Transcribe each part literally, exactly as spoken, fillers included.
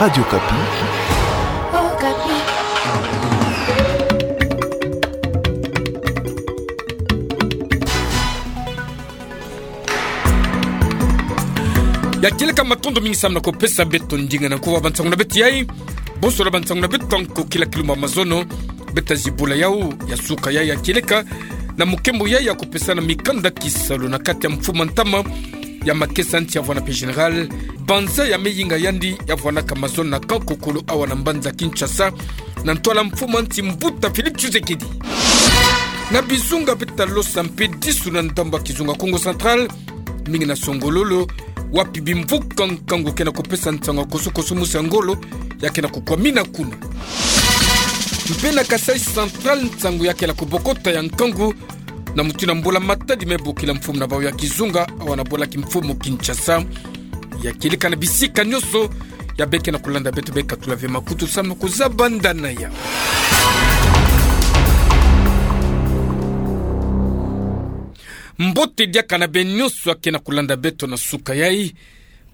Radio Okapi. Ya kieleka, matondo mingi samu na kupesa beto ndinga na nkuwa bansangu na beto yai. Bonsola bansangu na beto, nkokila kilumbu ya mazono. Beta zibula yau ya suka yai ya kieleka na mukembo yai ya kupesana mikanda kisalu na kati ya mfumu ntama ya makesa nti ya vwana pe Général Banza ya meyinga yandi ya vwanaka mazono na kankokolo awa na mbanza Kinshasa, na ntwala mfumu nti mbuta Félix Tshisekedi. Na bizunga beta losa mpe disu na ndambu ya kizunga Kongo Central, mingi na Songololo, wapi bimvuka nkangu ke na kupesa nsangu ya kosokoso mosi ya ngolo ya ke na kukwamina kuna. Mpe na Kasaï Central, nsangu ya ke na kubokota ya nkangu na mutindu ya mbula-matadi me bokila mfumu na bawu ya kizunga awa na bwala kimfumu Kinshasa. Ya kieleka na bisika nyonso ya beke na kulanda beto, bekatula ve makutu samu na kuzaba ndana ya. Mbote diaka na beno nyonso ya ke na kulanda beto na suka yai.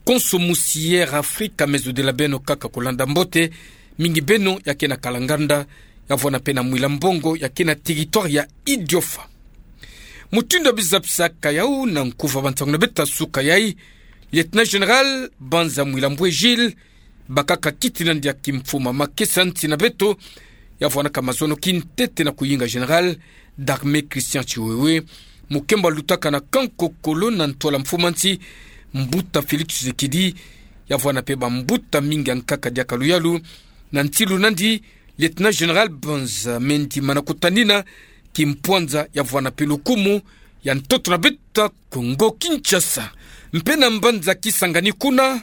Konso musi Air Afrika me zodila beno kaka kulanda mbote, mingi beno ya ke na Kalanganda, ya vwana pe na Mwila Mbongo, ya ke na territoire ya Idiofa. Mutindu ya bizabisaka yau na nkuwa bansangu na beto ya suka yai, Lieutenant Général Banza Mwila Mbwe Gilles, bakaka kiti nandi ya kimfumu ya makesa nti na beto, ya vwanaka mazono kintete na kuyinga Général d'armée Christian Tshiwewe, mukembo lutaka na kankokolo na ntwala mfumu nti mbuta Félix Tshisekedi, ya vwana pe bambuta mingi ya nkaka diaka luyalu, na ntilu nandi Lieutenant Général Banza me ndimana kutanina kimpwanza ya vwana pe lukumu ya ntoto na beto ya Kongo Kinshasa. Mpe na mbanza Kisangani kuna,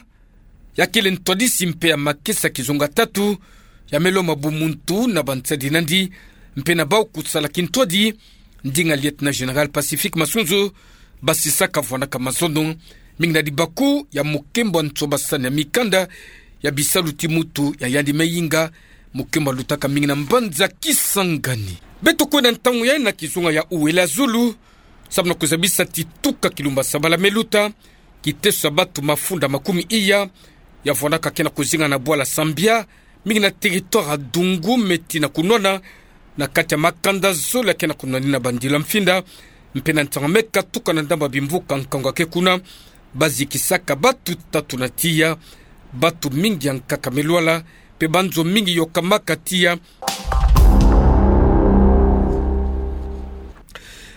ya kele ntwadisi mpe ya makesa kizunga tatu, ya me lomba bumuntu na bansadi nandi, mpe na bawu kusala kintwadi, ndinga Lieutenant Général Pacifique Masunzu basisaka vwanaka mazono, mingi na dibaku ya mukembo ya nsobasani ya mikanda ya bisalu ti mutu ya yandi meyinga, mukembo lutaka mingi na mbanza Kisangani. Beto kwenda ntangu yai na kizunga ya Ouéla-Zulu, samu na kuzabisa ti tuka kilumbu ya sabala me luta, kiteso ya batu mafunda makumi iya ya vwanaka ke na kuzinga na bwala Sambia, mingi na territoire ya Dungu, me tina kunwana na kati ya makanda zole ya ke na kunwanina bandilu ya mfinda, mpe na ntangu me katuka na ndambu ya bimvuka nkangu ya ke kuna, bazikisaka batu tatu na tiya, batu mingi ya nkaka me lwala, mpe banzo mingi yokamaka tiya.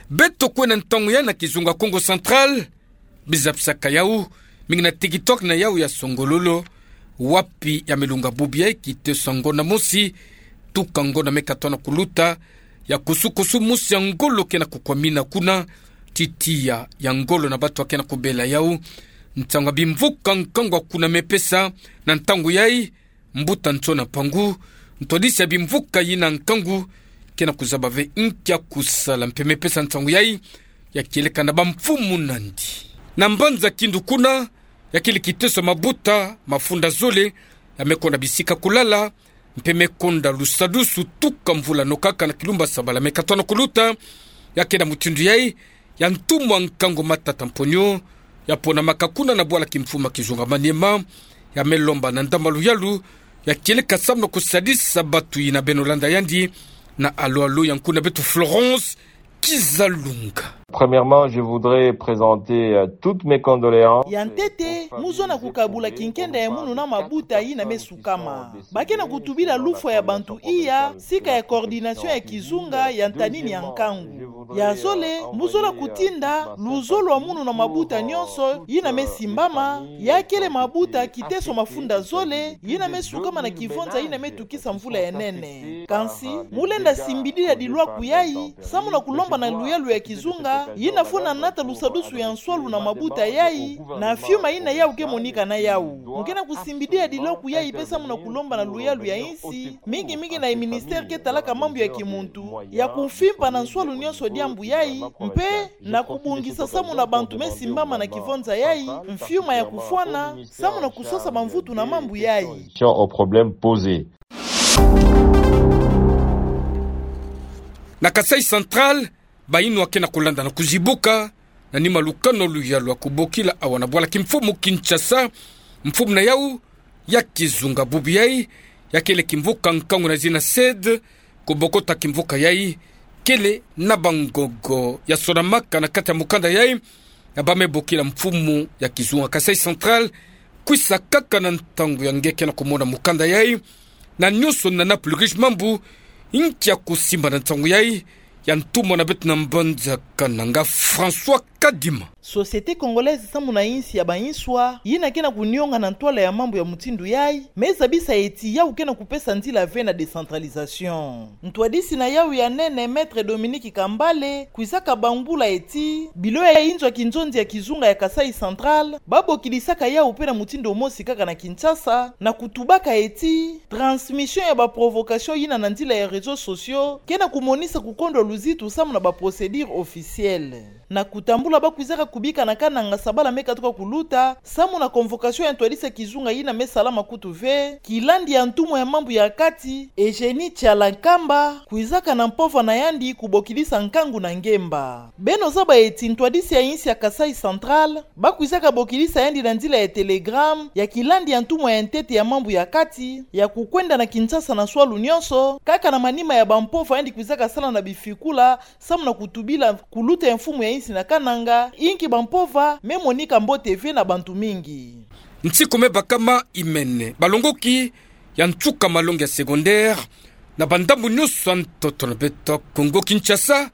Beto kwenda ntangu yai na kizunga Kongo Central, bizabisaka yau, mingi na territoire na yau ya Songololo, wapi ya me lunga bubu yai kiteso ya ngonda mosi, tuka ngonda me katona kuluta, ya kusukusu mosi ya ngolo ke na kukwamina kuna, ti tiya ya ngolo na batu ya ke na kubela yau. Ntangu ya bimvuka nkangu ya kuna me pesa, na ntangu yai, mbuta Nsona Mpangu, ntwadisi ya bimvuka yina nkangu, ke na kuzaba ve nki ya kusala mpe me pesa nsangu yai, ya kieleka na bamfumu nandi. Na mbanza Kindu kuna, ya kele kiteso ya mabuta mafunda zole, ya me konda bisika kulala, mpe me konda lusadusu tuka mvula nokaka na kilumbu ya sabala me katona kuluta, ya ke na mutindu yai, ya ntumwa nkangu Matata Mponyo, ya ponamaka kuna na bwala kimfumu ya kizunga Maniema, ya me lomba na ndambu ya luyalu, ya kieleka samu na kusadisa batu yina beno landa yandi, na alo-alo ya nkuna beto Florence Kizalunga. Premièrement, je voudrais présenter, euh, toutes mes condoléances. Ya ntete, mu zona kukabula kinkenda ya munu na mabuta yina me sukama. Ba ke na kutubila lufwa ya bantu iya, sika ya coordination ya kizunga ya ntanini ya nkangu. Ya zole, mu zola kutinda luzolo lwa munu na mabuta nyonso yina me simbama, ya kele mabuta kiteso mafunda zole yina me sukama na kivonza yina me tukisa mvula ya nene. Kansi, mu lenda simbidila dilwaku yayi, samu na kulomba na luyalu ya kizunga yina fwana nata lusadusu ya nswalu na mabuta yayi, na fiuma yina yau ke monika na yau. Mu ke na kusimbidila dilwaku yayi mpe samu na kulomba na luyalu ya insi, mingi mingi na ministère ke talaka mambu ya kimuntu, ya kumfimpa na nswalu nyonso diambu yayi, mpe na kubongisa samu na bantu me simbama na kivonza yayi, mfiuma ya kufwana, samu na kusosa bamvutu na mambu yayi. Au problème posé. Na Kasaï Central, bayinwa ke na kulanda na kuzibuka, na nima lukano luyalu lwa kubokila awa na bwala kimfumu Kinshasa, mfumu na yau, ya kizunga bubu yai, ya kele kimvuka nkangu na zina sede, kubokota kimvuka yai, kele na bangogo ya sonamaka na kati ya mukanda yai, na bamebokila mfumu ya kizunga Kasaï Central, kwisa kaka na ntangu ya nge ke na kumona mukanda yai, na nyonso nana plus riche mambu, nkia kusimba na ntangu yai, ya ntumwa na beto na mbanza Kananga François Kadima. Société congolaise samu na insi ya bainswa, yina ke na kunionga na ntwala ya mambu ya mutindu yai, me zabisa eti yau ke na kupesa nzila ve na décentralisation. Ntwadisi na yau ya nene, Maître Dominique Kambale, kwizaka bambula eti, bilo ya inzo ya kinzonzi ya kizunga ya Kasaï Central, babokilisaka yau pe na mutindu mosi kaka na Kinshasa, na kutubaka eti, transmission ya ba provocation yina na nzila ya réseaux sociaux, ke na kumonisa kukondwa luzitu samu na ba procédures officielles. Na kutambula bakwizaka kubika na Kananga sabala me katuka kuluta, samu na convocation ya ntwadisi ya kizunga yina me salama kutu ve, kilandi ya ntumwa ya mambu ya kati, Eugénie Kyala Nkamba, kwizaka na mpova na yandi kubokilisa nkangu na ngemba. Beno zaba eti ntwadisi ya insi ya Kasaï Central, bakwizaka bokilisa yandi na nzila ya télégramme, ya kilandi ya ntumwa ya ntete ya mambu ya kati, ya kukwenda na Kinshasa na swalu nyonso, kaka na manima ya bampova yandi kwizaka sala na bifikula, samu na kutubila kuluta ya mfumu ya insi na Kananga, inki bampova me monika mbote ve na bantu mingi. Nsiku me bakama imene, balongoki ya nsuka malongi ya secondaire, na bandambu nyonso ya ntoto na beto Kongo Kinshasa,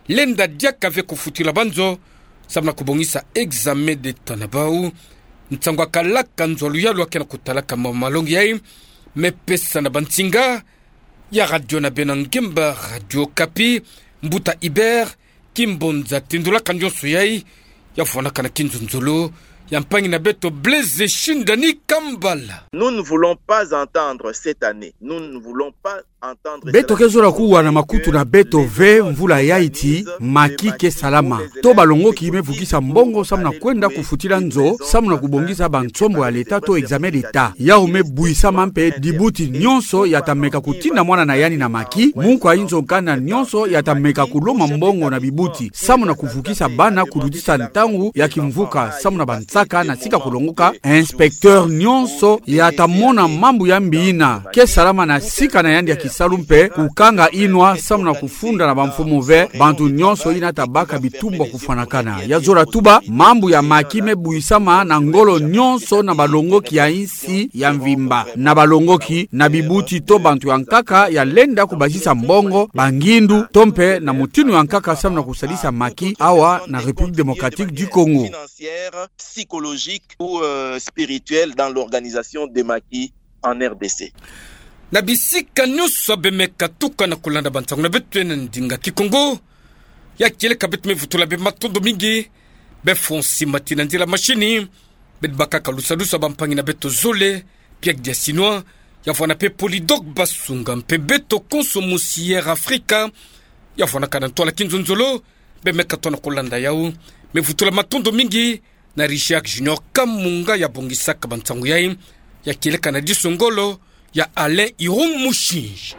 lenda diaka ve kufutila banzo, samu na kubongisa examen d'État na bau. Nsangu ya kalaka nzo ya luyalu ya ke na kutalaka ma malongi yai, me pesa na bansinga ya radio na beno ya ngemba Radio Okapi, Mbuta Hubert Kimbonza, tindulaka nyonso yai, ya fwanaka na kinzonzolo ya mpangi na beto Blaise Shindani Kambala. Nous ne voulons pas entendre cette année. Nous ne voulons pas entendre cela. Beto ke zola kuwa na makutu na beto ve mvula yai ti Macky ke salama. To balongoki me vukisa mbongo samu na kwenda kufutila nzo, samu na kubongisa bansombo ya l'État to examen d'État. Yau me bwisama mpe dibuti nyonso ya ta meka kutinda mwana na yandi na Macky, munkwa inzo nkanda nyonso ya ta meka kuloma mbongo na bibuti, samu na kuvukisa bana kulutisa ntangu ya kimvuka, samu na bansaka na sika kulongoka, inspecteur nyonso ya ta mona mambu ya mbi yina ke salama na sika na yandi ya kisalu mpe kukanga inwa samu na kufunda na bamfumu ve bantu nyonso yina ta baka bitumbu ya kufwanakana. Ya zola tuba, mambu ya Macky me bwisama na ngolo nyonso na balongoki ya insi ya mvimba, na balongoki, na bibuti to bantu ya nkaka ya lenda kubasisa mbongo, bangindu, to mpe na mutinu ya nkaka samu na kusalisa Macky awa na République Démocratique du Congo. Financière, psychologique ou, euh, spirituelle dans l'organisation de Macky en R D C. Na bisika nyonso beno me katuka na kulanda bansangu na beto na ndinga Kikongo, ya kieleka beto me vutula beno matondo mingi. Beno fonsi mati na nzila mashini, beno bakaka lusalusa bampangi na beto zole, Pierre Diasinois, ya vwanda mpe Polydor Basunga, mpe beto konso musi Air Afrika, ya vwandaka na ntwala kinzonzolo, beno me katuka na kulanda yau. Me vutula matondo mingi na Richard Junior Kamunga ya bongisaka bansangu yai, ya kieleka na diso ngolo ya Alain Irung Mushinji.